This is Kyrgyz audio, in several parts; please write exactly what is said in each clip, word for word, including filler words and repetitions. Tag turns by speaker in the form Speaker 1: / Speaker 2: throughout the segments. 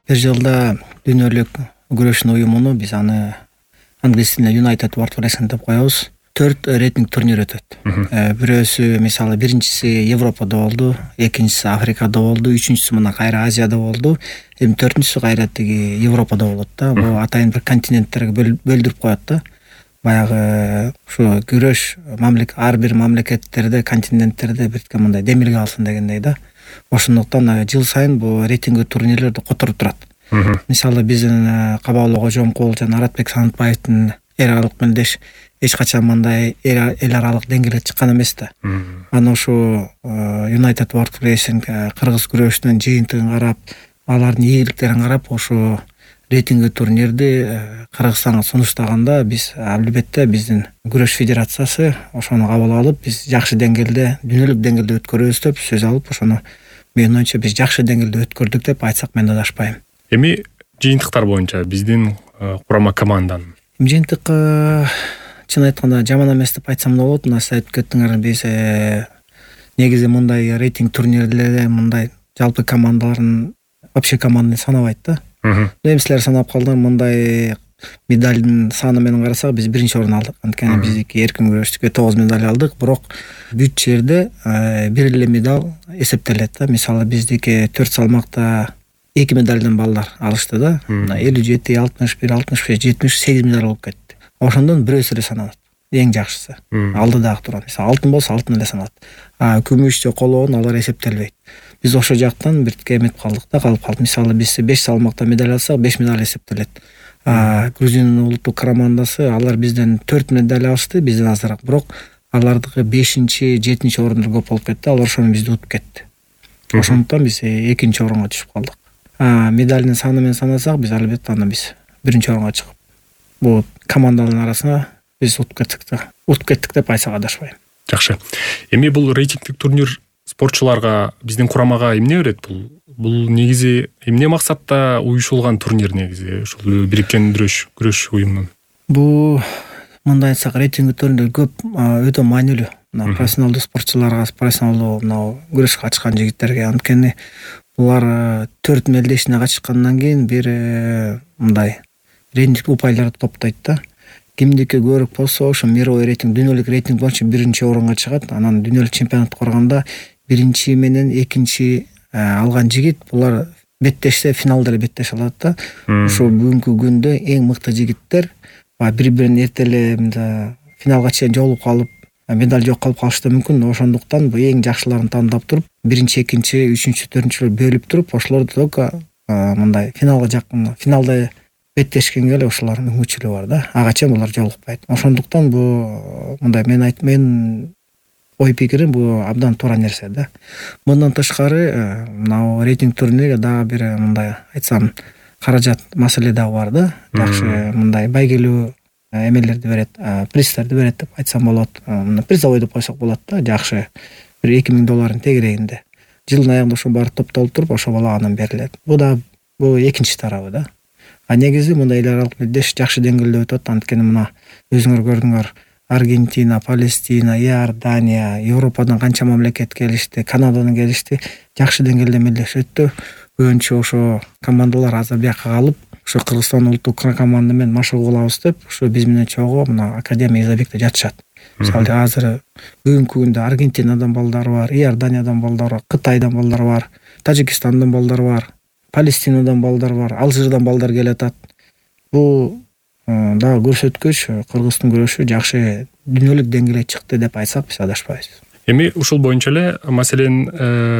Speaker 1: Бир жылда дүйнөлүк күрөштүн уюмуну биз аны англис тилинде United World Wrestling деп коебуз. Төрт рейтинг турнир өтөт. Бирөөсү мисалы биринчиси Европада болду, экинчиси Африкада болду, үчүнчүсү мына кайра Азияда болду. Эми төртүнчүсү кайра тиги Европада болот да. Бул атайын бир континенттерге бөлдүрүп коет да. Баягы ушу күрөш мамлекет ар бир мамлекеттерде, континенттерде бирге мындай демилге алсын дегендей да. Ошондуктан жыл сайын бул рейтинг турнирлерди которуп турат. Мисалы биздин Кабаалы Кожомкул жана Аратбек Санатбаевдин эл аралык мелдеш эч качан мындай эл аралык деңгээлге чыккан эмес да. Анан ушу United World Wrestling кыргыз күрөшүнүн жыйынтыгын карап, алардын ийгиликтерин карап, ошо рейтинг турнирди Кыргызстанга сунуштаганда биз албетте биздин күрөш федерациясы ошону кабыл алып, биз жакшы деңгээлде, дүйнөлүк деңгээлде өткөрөбүз деп сөз алып, ошону менин оюмча биз жакшы деңгээлде өткөрдүк деп айтсак мен адашпайм.
Speaker 2: Эми жыйынтыктар боюнча биздин курама команданын
Speaker 1: жыйынтык чын айтканда жаман эмес деп айтсам да болот. Мына сиз айтып кеттиңер, биз негизи мындай рейтинг турнирлерде мындай жалпы командалардын вообще команданы санабайт да. Эми силер санап калдыңар, мындай медалдын саны менен карасак биз биринчи орун алдык. Анткени биздики эркин күрөштүккө тогуз медаль алдык, бирок бүт жерде бир эле медаль эсептелет да. Мисалы биздики төрт салмакта эки медальдан балдар алышты да. элүү жети, алтымыш бир, алтымыш беш, жетимиш сегиз медаль болуп кетти. Ошондон бирөөсү эле саналат. Эң жакшысы. Алдыдагы турат. Мисалы алтын болсо алтын эле саналат. А күмүш же колоон алар эсептелбейт. Биз ошо жактан бир эметип калдык да, калып калдык. Мисалы биз беш салмакта медаль алсак, беш медаль эсептелет. А Грузиянын улуттук командасы алар бизден төрт медаль алышты, бизден азыраак. Бирок алардыкы бешинчи, жетинчи орундар көп болуп кетти. Алар ошону бизди утуп кетти. Ошондуктан биз экинчи орунга түшүп калдык. А медальдын саны менен санасак, биз албетте анда биз биринчи орунга чыгып, бул командалардын арасына биз утуп кеттик да. Утуп кеттик деп айтсак адашпайм.
Speaker 2: Жакшы. Эми бул рейтингдик турнир спортчуларга, биздин курамага эмне берет? Бул бул негизи эмне максатта уюшулган турнир негизи? Ушул бириккен күрөш күрөш уюмунун.
Speaker 1: Бул мындай айтсак, рейтинг турнир көп өтө маанилүү. Мына профессионалдуу спортчуларга, профессионалдуу мына күрөшкө катышкан жигиттерге, анткени булар төрт мелдешине катышкандан кийин бир мындай рейтинг упайларды топтойт да. Кимдики көбүрөөк болсо, ошо мировой рейтинг, дүйнөлүк рейтинг боюнча биринчи орунга чыгат. Анан дүйнөлүк чемпионатты коргондо биринчи менен экинчи алган жигит булар беттешсе финалда эле беттеше алат да. Ошо бүгүнкү күндө эң мыкты жигиттер бири-бирин эрте эле финалга чейин жолугуп калып, медаль жок калып калышы да мүмкүн. Ошондуктан бул эң жакшыларын тандап туруп, биринчи, экинчи, үчүнчү, төртүнчүлөр бөлүп туруп, ошолорду только мындай финалга жакын, финалда беттешкенге эле ошолордун мүмкүнчүлүгү бар да. Ага чейин булар жолукпайт. Ошондуктан бул мындай мен айт мен ой пикирим бул абдан туура нерсе да. Мындан тышкары мына рейтинг турнирге дагы бир мындай айтсам каражат маселе дагы бар да. Жакшы мындай байгелүү эмелерди берет, призтерди берет деп айтсам болот. Призовой деп койсок болот да. Жакшы бир эки миң долларын тегерегинде. Жылдын аягында ошо баары топтолуп туруп, ошо балаганан берилет. Бул да бул экинчи тарабы да. А негизи мындай эл аралык мелдеш жакшы деңгээлде өтөт. Анткени мына өзүңөр көрдүңөр, Аргентина, Палестина, Иордания, Европадан канча мамлекет келишти, Канададан келишти. Жакшы деңгээлде мелдеш өттү. Көбүнчө ошо командалар азыр бияка калып, ошо Кыргызстан улуттук команда менен машыгуу кылабыз деп, ошо биз менен чогуу мына Академия Изабекте жатышат. Мисалы азыр бүгүнкү күндө Аргентинадан балдар бар, Иорданиядан балдар бар, Кытайдан балдар бар, Тажикстандан балдар бар, Палестинадан балдар бар, Алжирдан балдар келатат. Бул дагы көрсөткүч Кыргыздын күрөшү жакшы дүйнөлүк деңгээлге чыкты деп айтсак биз адашпайбыз.
Speaker 2: Эми ушул боюнча эле, маселен,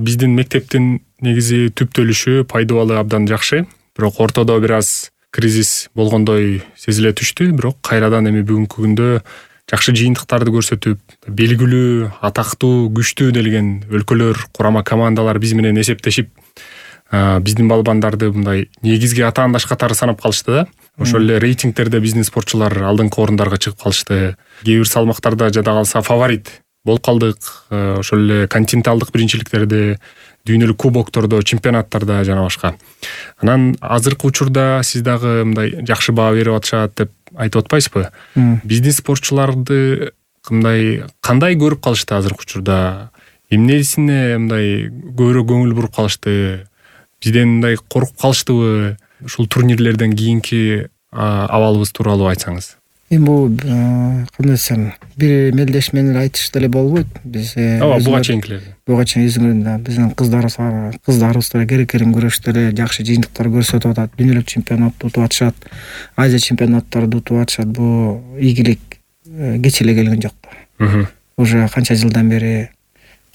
Speaker 2: биздин мектептин негизи түптөлүшү, пайдубалы абдан жакшы. Бирок ортодо бир аз кризис болгондой сезиле түштү. Бирок кайрадан эми бүгүнкү күндө жакшы жыйынтыктарды көрсөтүп, белгилүү, атактуу, күчтүү делген өлкөлөр, курама командалар биз менен эсептешип, биздин балбандарды мындай негизги атаандаш катары санап калышты да. Ошол эле рейтингтерде биздин спортчулар алдыңкы орундарга чыгып калышты. Кээ бир салмактарда жада калса фаворит болуп калдык. Ошол эле континенталдык биринчиликтерде, дүйнөлүк кубоктордо, чемпионаттарда жана башка. Анан азыркы учурда сиз дагы мындай жакшы баа берип атышат деп айтып атпайсызбы? Биздин спортчуларды мындай кандай көрүп калышты азыркы учурда? Эмнесине мындай көбүрөөк көңүл буруп калышты? бизден мындай коркуп калыштыбы ушул турнирлерден кийинки абалыбыз тууралуу айтсаңыз?
Speaker 1: Эми бул кандай десем, бир мелдеш менен айтыш деле болбойт. Биз
Speaker 2: ооба буга чейинкилер.
Speaker 1: Буга чейин өзүңөр биздин кыздарыбыз кыздарыбыз деле керек-керим күрөштө деле жакшы жыйынтыктар көрсөтүп атат. Дүйнөлүк чемпионатты утуп атышат, Азия чемпионаттарды утуп атышат. Бул ийгилик кеч эле келген жок. Уже канча жылдан бери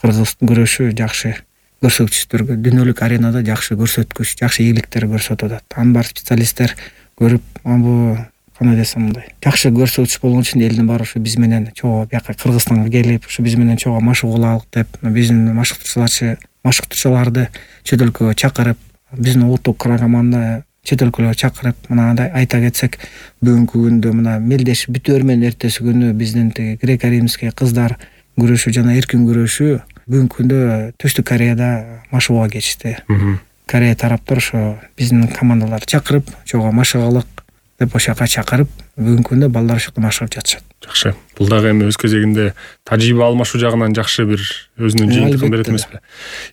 Speaker 1: кыргыздын күрөшү жакшы көрсөткүчтөргө, дүйнөлүк аренада жакшы көрсөткүч, жакшы ийгиликтер көрсөтүп атат. Аны бар специалисттер көрүп, бул кандай десем мындай жакшы көрсөтүш болгон үчүн элдин баары ушу биз менен чогуу бияка Кыргызстанга келип, ушу биз менен чогуу машык кылалык деп, биздин машыктырчыларды машыктырчыларды чет өлкөгө чакырып, биздин улуттук команда чет өлкөлөргө чакырып, мынандай айта кетсек, бүгүнкү күндө мына мелдеш бүтөөр менен эртеси күнү биздин тиги греко-римский кыздар күрөшү жана эркин күрөшү бүгүнкү күндө Түштүк Кореяда машыгууга кетишти. Корея тараптар ошо биздин командаларды чакырып, чогуу машыгалык деп ошол жака чакырып, бүгүнкү күндө балдар ошол жакта машыгып жатышат.
Speaker 2: Жакшы. Бул дагы эми өз кезегинде тажрыйба алмашуу жагынан жакшы бир өзүнүн жыйынтыгын берет эмеспи?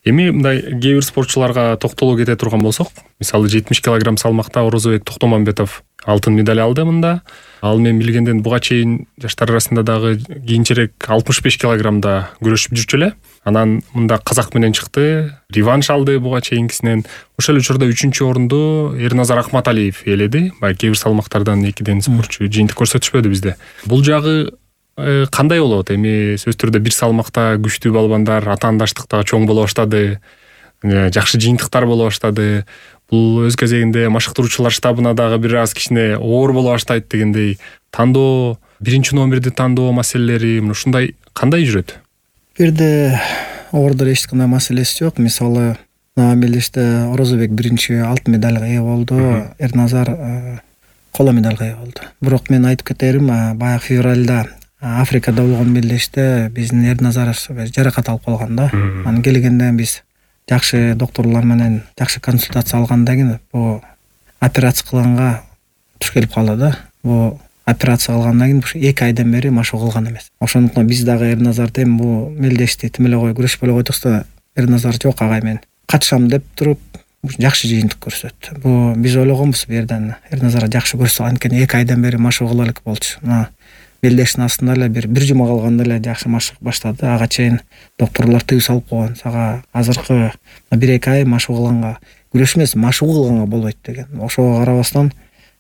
Speaker 2: Эми мындай кээ бир спортчуларга токтоло кете турган болсок, мисалы жетимиш килограмм салмакта Орозобек Токтомамбетов алтын медаль алды мында. Ал мен билгенден буга чейин жаштар арасында дагы кийинчерээк алтымыш беш килограммда күрөшүп жүрчү эле. Анан мында казак менен чыкты, реванш алды буга чейинкисинен. Ошол учурда үчүнчү орунду Эрназар Акматалиев ээледи. Баягы кээ бир салмактардан экиден спортчу жыйынтык көрсөтүшпөдү бизде. Бул жагы кандай болот? Эми сөзсүз түрдө бир салмакта күчтүү балбандар, атаандаштык дагы чоң боло баштады, жакшы жыйынтыктар боло баштады. Бул өз кезегинде машыктыруучулар штабына дагы бир аз кичине оор боло баштайт дегендей. Тандоо, биринчи номерди тандоо маселелери ушундай кандай жүрөт?
Speaker 1: Бирде ордер эч кандай маселеси жок. Мисалы, мелдеште Орозобек биринчи алтын медальга ээ болду, Эрназар коло медальга ээ болду. Бирок мен айтып кетерим, баягы февралда Африкада болгон мелдеште биздин Эрназар жаракат алып калган да. Анан келгенде биз жакшы докторлор менен жакшы консультация алгандан кийин бу операция кылганга туш келип калды да. Бу операция кылгандан кийин ушу эки айдан бери машыгуу кылган эмес. Ошондуктан биз дагы Эрназарды эми бу мелдешти тим эле кой күрөшпөй эле койдук да, Эрназар жок агай мен катышам деп туруп жакшы жыйынтык көрсөттү. Бу биз ойлогонбуз бу жерден Эрназар жакшы көрсөтүп, анткени эки айдан бери машыгуу кыла элек болчу. Мына мелдештин астында эле бир бир жума калганда эле жакшы машыгып баштады. Ага чейин докторлор тыюу салып койгон. Сага азыркы бир эки ай машыгуу кылганга, күрөш эмес, машыгуу кылганга болбойт деген. Ошого карабастан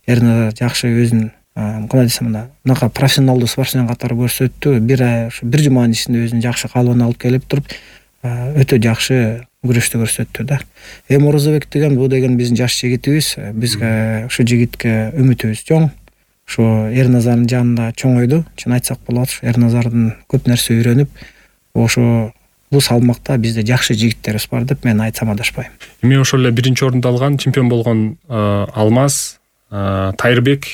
Speaker 1: Эрназар жакшы өзүн кандай десем мына мынакай профессионалдуу спортсмен катары көрсөттү. Бир ай ушу бир жуманын ичинде өзүнүн жакшы калыбына алып келип туруп, өтө жакшы күрөштү көрсөттү да. Эми Орозобек деген бул деген биздин жаш жигитибиз. Бизге ушу жигитке үмүтүбүз чоң. Ушу Эрназардын жанында чоңойду, чын айтсак болот. Эрназардын көп нерсе үйрөнүп, ошо бул салмакта бизде жакшы жигиттерибиз бар деп мен айтсам адашпайм.
Speaker 2: Эми ошол эле биринчи орунду алган, чемпион болгон Алмаз Тайырбек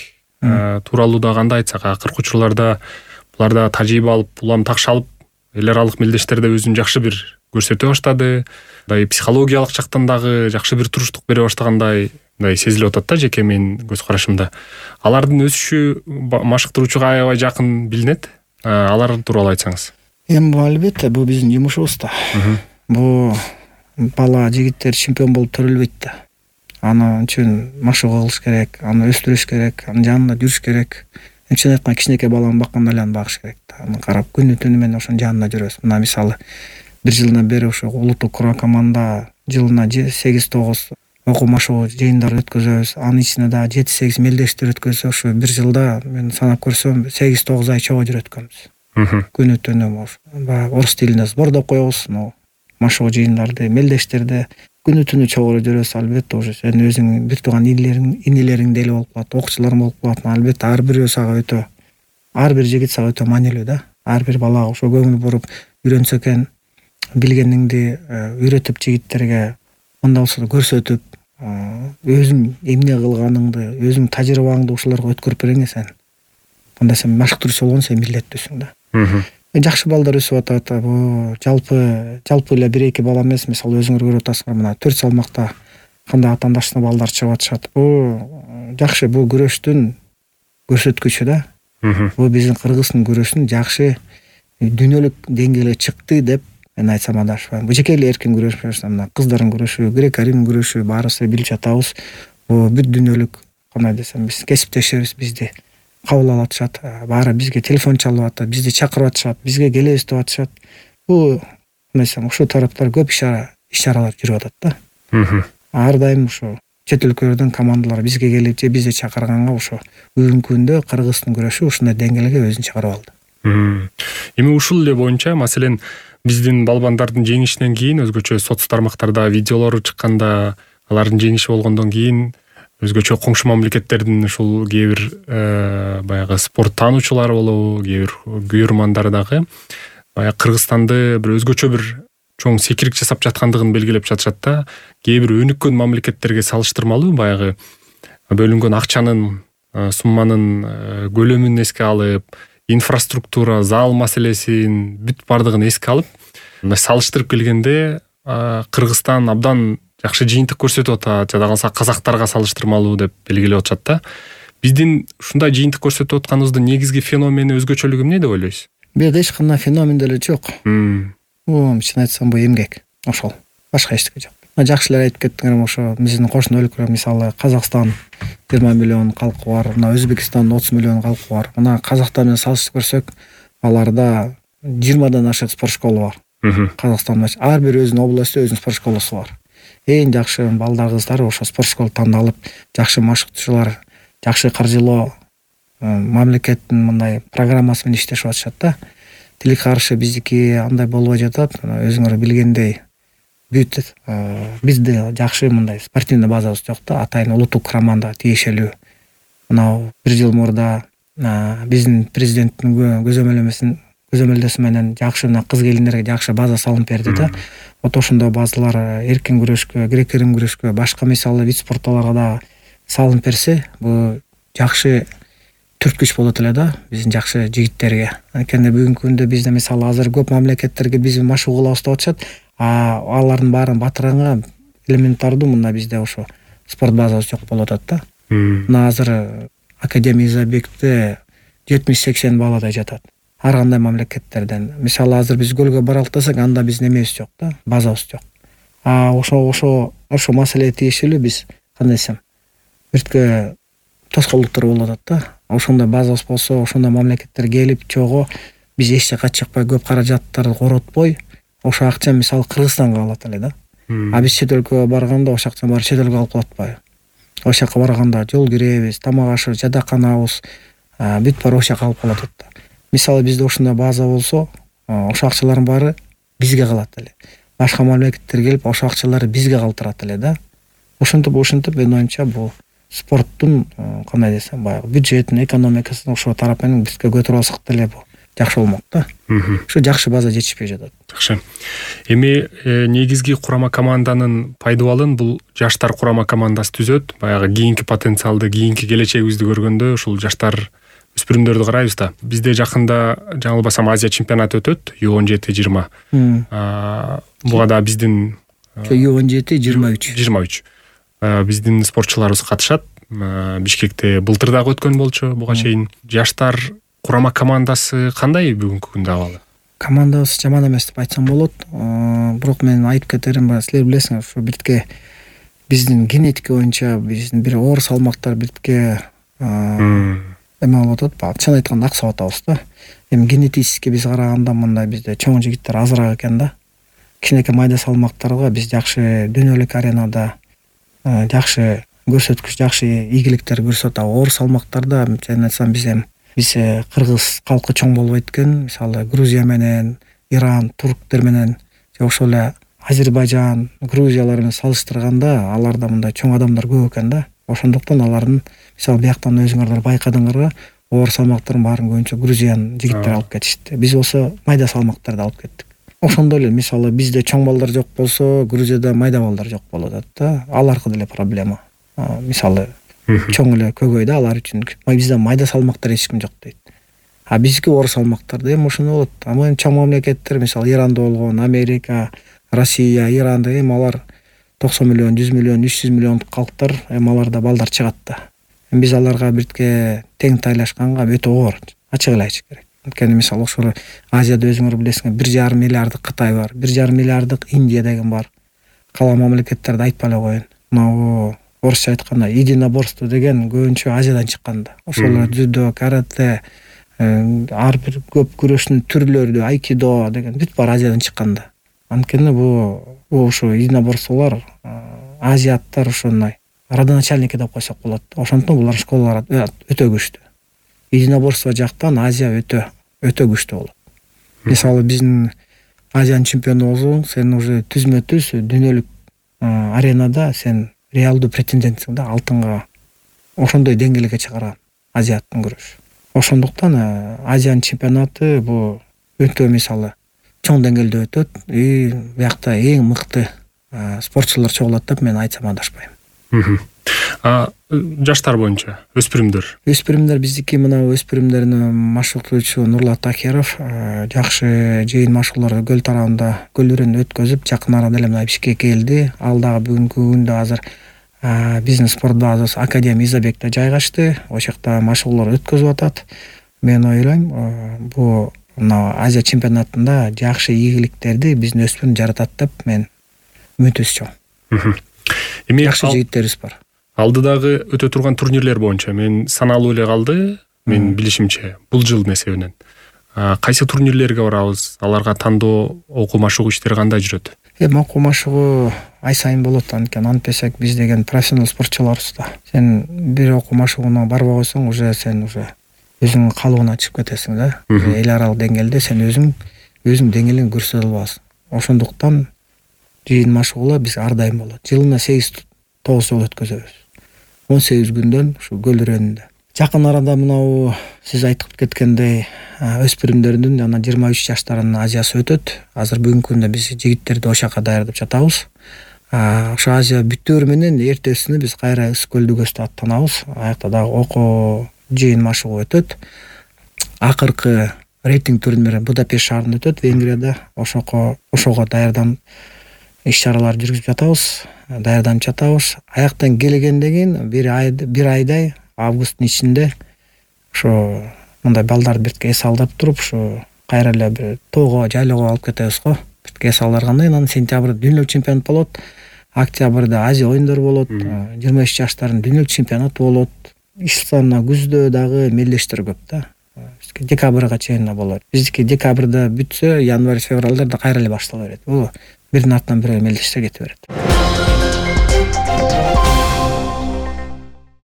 Speaker 2: тууралуу да кандай айтсак, акыркы учурларда булар да тажрыйба алып, улам такшы алып, эл аралык мелдештерде өзүн жакшы бир көрсөтө баштады. Мындай психологиялык жактан дагы жакшы бир туруштук бере баштагандай мындай сезилип атат да, жеке менин көз карашымда. Алардын өсүшү машыктыруучуга аябай жакын билинет. Алар тууралуу айтсаңыз.
Speaker 1: Эми бул албетте бул биздин жумушубуз да. Бул бала жигиттер чемпион болуп төрөлбөйт да. Аны үчүн машыгуу кылыш керек, аны өстүрүш керек, анын жанында жүрүш керек. Чын айтканда кичинекей баланы баккандай эле аны багыш керек да. Аны карап күнү түнү менен ошонун жанында жүрөбүз. Мына мисалы бир жылдан бери ошо улуттук курма команда жылына сегиз тогуз окуу машыгуу жыйындар өткөзөбүз. Анын ичинде дагы жети сегиз мелдештер өткөзсө, ошо бир жылда мен санап көрсөм сегиз тогуз ай чогуу жүрөткөнбүз. Күнү түнү баягы орус тилинде сбор деп коебуз. Машыгуу жыйындарды, мелдештерде күнү түнү чогуу жүрөбүз. Албетте уже сен өзүң бир тууган инилериң, инилериң деле болуп калат, окуучуларың болуп калат. Албетте ар бирөө сага өтө, ар бир жигит сага өтө маанилүү да. Ар бир балага ошо көңүл буруп үйрөнсө экен, билгениңди үйрөтүп жигиттерге мындай болсо да көрсөтүп, өзүң эмне кылганыңды, өзүң тажрыйбаңды ушуларга өткөрүп бериңе сен. Мындай сен машыктыруучу болгон сен милдеттүүсүң да. Жакшы балдар өсүп атат. Бу жалпы жалпы эле бир эки бала эмес. Мисалы өзүңөр көрүп атасыңар, мына төрт салмакта кандай атаандаштык балдар чыгып атышат. Бу жакшы, бул күрөштүн көрсөткүчү да. Бул биздин кыргыздын күрөшүн жакшы дүйнөлүк деңгээлге чыкты деп мен айтсам адашпайм. Жеке эле эркин күрөш, мына кыздардын күрөшү, грек-рим күрөшү баарыбыз билип жатабыз. Бул бүт дүйнөлүк кандай десем, биз кесиптешибиз, бизди кабыл алып атышат, баары бизге телефон чалып атат, бизди чакырып атышат, бизге келебиз деп атышат. Бул кандай десем, ушул тараптар көп иш-чаралар жүрүп атат да. Ар дайым ушу чет өлкөлөрдөн командалар бизге келип же бизди чакырганга ошо бүгүнкү күндө Кыргыздын күрөшү ушундай деңгээлге өзүн чыгарып алды.
Speaker 2: Эми ушул эле боюнча, маселен, биздин балбандардын жеңишинен кийин өзгөчө соц тармактарда видеолору чыкканда, алардын жеңиши болгондон кийин өзгөчө коңшу мамлекеттердин ушул кээ бир баягы спорт таануучулары болобу, кээ бир күйөрмандар дагы баягы Кыргызстанды бир өзгөчө бир чоң секирик жасап жаткандыгын белгилеп жатышат да. Кээ бир өнүккөн мамлекеттерге салыштырмалуу баягы бөлүнгөн акчанын, сумманын көлөмүн эске алып, инфраструктура, зал маселесин бүт бардыгын эске алып, салыштырып келгенде Кыргызстан абдан жакшы жыйынтык көрсөтүп атат, жада калса казактарга салыштырмалуу деп белгилеп атышат да. Биздин ушундай жыйынтык көрсөтүп атканыбыздын негизги феномени, өзгөчөлүгү эмне деп ойлойсуз?
Speaker 1: Бул эч кандай феномен деле жок. Бул чын айтсам бул эмгек, ошол. Башка эчтеке жок. Жакшы эле айтып кеттиңер, ошо биздин кошуна өлкөлөр, мисалы Казакстан жыйырма миллион калкы бар, мына Өзбекстандын отуз миллион калкы бар. Мына Казакстан менен салыштырып көрсөк, аларда жыйырмадан ашык спорт школа бар. Казакстанда ар бир өзүнүн областта өзүнүн спорт школосу бар. Эң жакшы балдар, кыздар ошо спорт школа тандалып, жакшы машыктуучулар, жакшы каржылоо мамлекеттин мындай программасы менен иштешип атышат да. Тилик каршы биздики андай болбой жатат. Өзүңөр билгендей, бүт бизде жакшы мындай спортивный базабыз жок да. Атайын улуттук командага тиешелүү. Мына бир жыл мурда биздин президенттин көзөмөлдөмөсүн көзөмөлдөсү менен жакшы мына кыз келиндерге жакшы база салынып берди да. Вот ошондой базалар эркин күрөшкө, грек-рим күрөшкө, башка мисалы вид спорттолорго да салынып берсе, бул жакшы түрткүч болот эле да биздин жакшы жигиттерге. Анткени бүгүнкү күндө бизде мисалы азыр көп мамлекеттерге биз машыгуу кылабыз деп атышат, а алардын баарын батырганга элементардуу мында бизде ошо спорт базабыз жок болуп атат да. Мына азыр Академия Изабекте жетимиш сексен баладай жатат. Ар кандай мамлекеттерден. Мисалы азыр биз көлгө баралык десек, анда биздин эмебиз жок да, базабыз жок. А ошо ошо ошо маселеге тиешелүү биз кандай десем, биртке тоскоолдуктар болуп атат да. Ошондой базабыз болсо, ошондой мамлекеттер келип чогуу биз эч жакка чыкпай, көп каражаттарды коротпой, ошо акча мисалы Кыргызстанга калат эле да. А биз чет өлкөгө барганда ошо акчаны баары чет өлкөгө алып калып атпайбы? Ошол жака барганда жол киребиз, тамак ашыбыз, жадаканабыз, бүт баары ошол жака алып калып атат да. Мисалы бизде ошондой база болсо, ошо акчалардын баары бизге калат эле. Башка мамлекеттер келип, ошо акчаларды бизге калтырат эле да. Ошентип ошентип мен оюмча бул спорттун кандай десем, баягы бюджетин, экономикасын ошол тарап менен бизге көтөрүп алсак деле бул жакшы болмок да. Ушу жакшы база жетишпей жатат.
Speaker 2: Жакшы. Эми негизги курама команданын пайдабалын бул жаштар курама командасы түзөт. Баягы кийинки потенциалды, кийинки келечегибизди көргөндө ушул жаштар өспүрүмдөрдү карайбыз да. Бизде жакында жаңылбасам Азия чемпионаты өтөт, ю он жети жыйырма. Буга да биздин
Speaker 1: ю он жети жыйырма үч
Speaker 2: жыйырма үч биздин спортчуларыбыз катышат. Бишкекте былтыр дагы өткөн болчу буга чейин. Жаштар курама командасы кандай бүгүнкү күндө абалы?
Speaker 1: Командабыз жаман эмес деп айтсам болот. Бирок мен айтып кетерим, силер билесиңер, ушу биртке биздин генетика боюнча биздин бир оор салмактар биртке эме болуп атат. Чын айтканда аксап атабыз да. Эми генетически биз караганда мындай бизде чоң жигиттер азыраак экен да. Кичинекей майда салмактарга биз жакшы дүйнөлүк аренада жакшы көрсөткүч, жакшы ийгиликтер көрсөтөт. Оор салмактарда мен айтсам биз эми биз кыргыз калкы чоң болбойт экен. Мисалы Грузия менен, Иран, турктер менен же ошол эле Азербайжан, Грузиялар менен салыштырганда аларда мындай чоң адамдар көп экен да. Ошондуктан алардын мисалы бияктан өзүңөр байкадыңарбы, оор салмактардын баарын көбүнчө Грузиянын жигиттери алып кетишти. Биз болсо майда салмактарды алып кеттик. Ошондой эле мисалы бизде чоң балдар жок болсо, Грузияда майда балдар жок болуп атат да. Ал аркы деле проблема. Мисалы чоң эле көгөйдө алар үчүн бизде майда салмактар эч ким жок дейт. А биздики оор салмактарда эми ошондой болот. Ама чоң мамлекеттер, мисалы Иранда болгон, Америка, Россия, Иранда эми алар токсон миллион, жүз миллион, үч жүз миллион калктар, эми аларда балдар чыгат да. Эми биз аларга биртке тең тайлашканга өтө оор, ачык эле айтыш керек. Анткени мисалы ошол Азияда өзүңөр билесиңер бир жарым миллиарддык Кытай бар, бир жарым миллиарддык Индия деген бар. Кала мамлекеттерди айтпай эле коеюн. Мына орусча айтканда единоборство деген көбүнчө Азиядан чыккан да. Ошол дзюдо, карате, ар бир көп күрөштүн түрлөрү, айкидо деген бүт баары Азиядан чыккан да. Анткени бул ошо единоборстволор азиаттар ошондой родоначальники деп койсок болот. Ошондуктан булар школалар өтө күчтүү. Единоборство жактан Азия өтө өтө күчтүү болот. Мисалы биздин Азиянын чемпиону болсоң, сен уже түзмө-түз дүйнөлүк аренада сен реалдуу претендентсиң да алтынга. Ошондой деңгээлге чыгарган азиаттын күрөшү. Ошондуктан Азиянын чемпионаты бул өтө мисалы чоң деңгээлде өтөт. И биякта эң мыкты спортчулар чогулат деп мен айтсам адашпайм.
Speaker 2: А жаштар боюнча өспүрүмдөр
Speaker 1: өспүрүмдөр биздики мына өспүрүмдөрүн машыктоочу Нурлат Акеров жакшы жыйын машыгууларды көл тарабында көлдөрүн өткөзүп, жакын арада эле мына Бишкекке келди. Ал дагы бүгүнкү күндө азыр биздин спорт базасы Академия Изабекте жайгашты. Ошол жакта машыгуулар өткөзүп атат. Мен ойлойм, бул мына Азия чемпионатында жакшы ийгиликтерди биздин өспүрүм жаратат деп мен үмүтүбүз чоң.
Speaker 2: Эми
Speaker 1: жакшы жигиттерибиз бар.
Speaker 2: Алдыдагы өтө турган турнирлер боюнча мен саналуу эле калды, мен билишимче, бул жылдын эсебинен. Кайсы турнирлерге барабыз? Аларга тандоо, окуу машыгуу иштери кандай жүрөт?
Speaker 1: Эми окуу машыгуу ай сайын болот, анткени антпесек биз деген профессионал спортчуларбыз да. Сен бир окуу машыгууна барбай койсоң, уже сен уже өзүңдүн калыбына чыгып кетесиң да. Эл аралык деңгээлде сен өзүң өзүң деңгээлиңди көрсөтө албайсың. Ошондуктан жыйын машыгуулар биз ар дайым болот. Жылына сегиз тогуз жолу өткөзөбүз. он сегиз күндөн ушу көл районунда. Жакын арада мынау сиз айтып кеткендей өспүрүмдөрдүн жана жыйырма үч жаштардын Азиясы өтөт. Азыр бүгүнкү күндө биз жигиттерди ошол жака даярдап жатабыз. Ошо Азия бүтөөр менен эртесине биз кайра Ыс көлдү көстө аттанабыз. Аякта дагы окуу жыйын машыгуу өтөт. Акыркы рейтинг турнири Будапешт шаарында өтөт, Венгрияда. Ошого ошого даярдан иш-чаралар жүргүзүп жатабыз, даярданып жатабыз. Аяктан келгенден кийин бир ай бир айдай августтун ичинде ошо мындай балдарды биртке эс алдырып туруп, ошо кайра эле бир тоого, жайлоого алып кетебиз го. Биртке эс алдыргандан кийин анан сентябрда дүйнөлүк чемпионат болот. Октябрда Азия оюндары болот. жыйырма үч жаштардын дүйнөлүк чемпионаты болот. Ишсана күздө дагы мелдештер көп да. Декабрга чейин болот. Биздики декабрда бүтсө, январь, февралда кайра эле баштала берет. Бул биринин артынан бири мелдештер кете берет.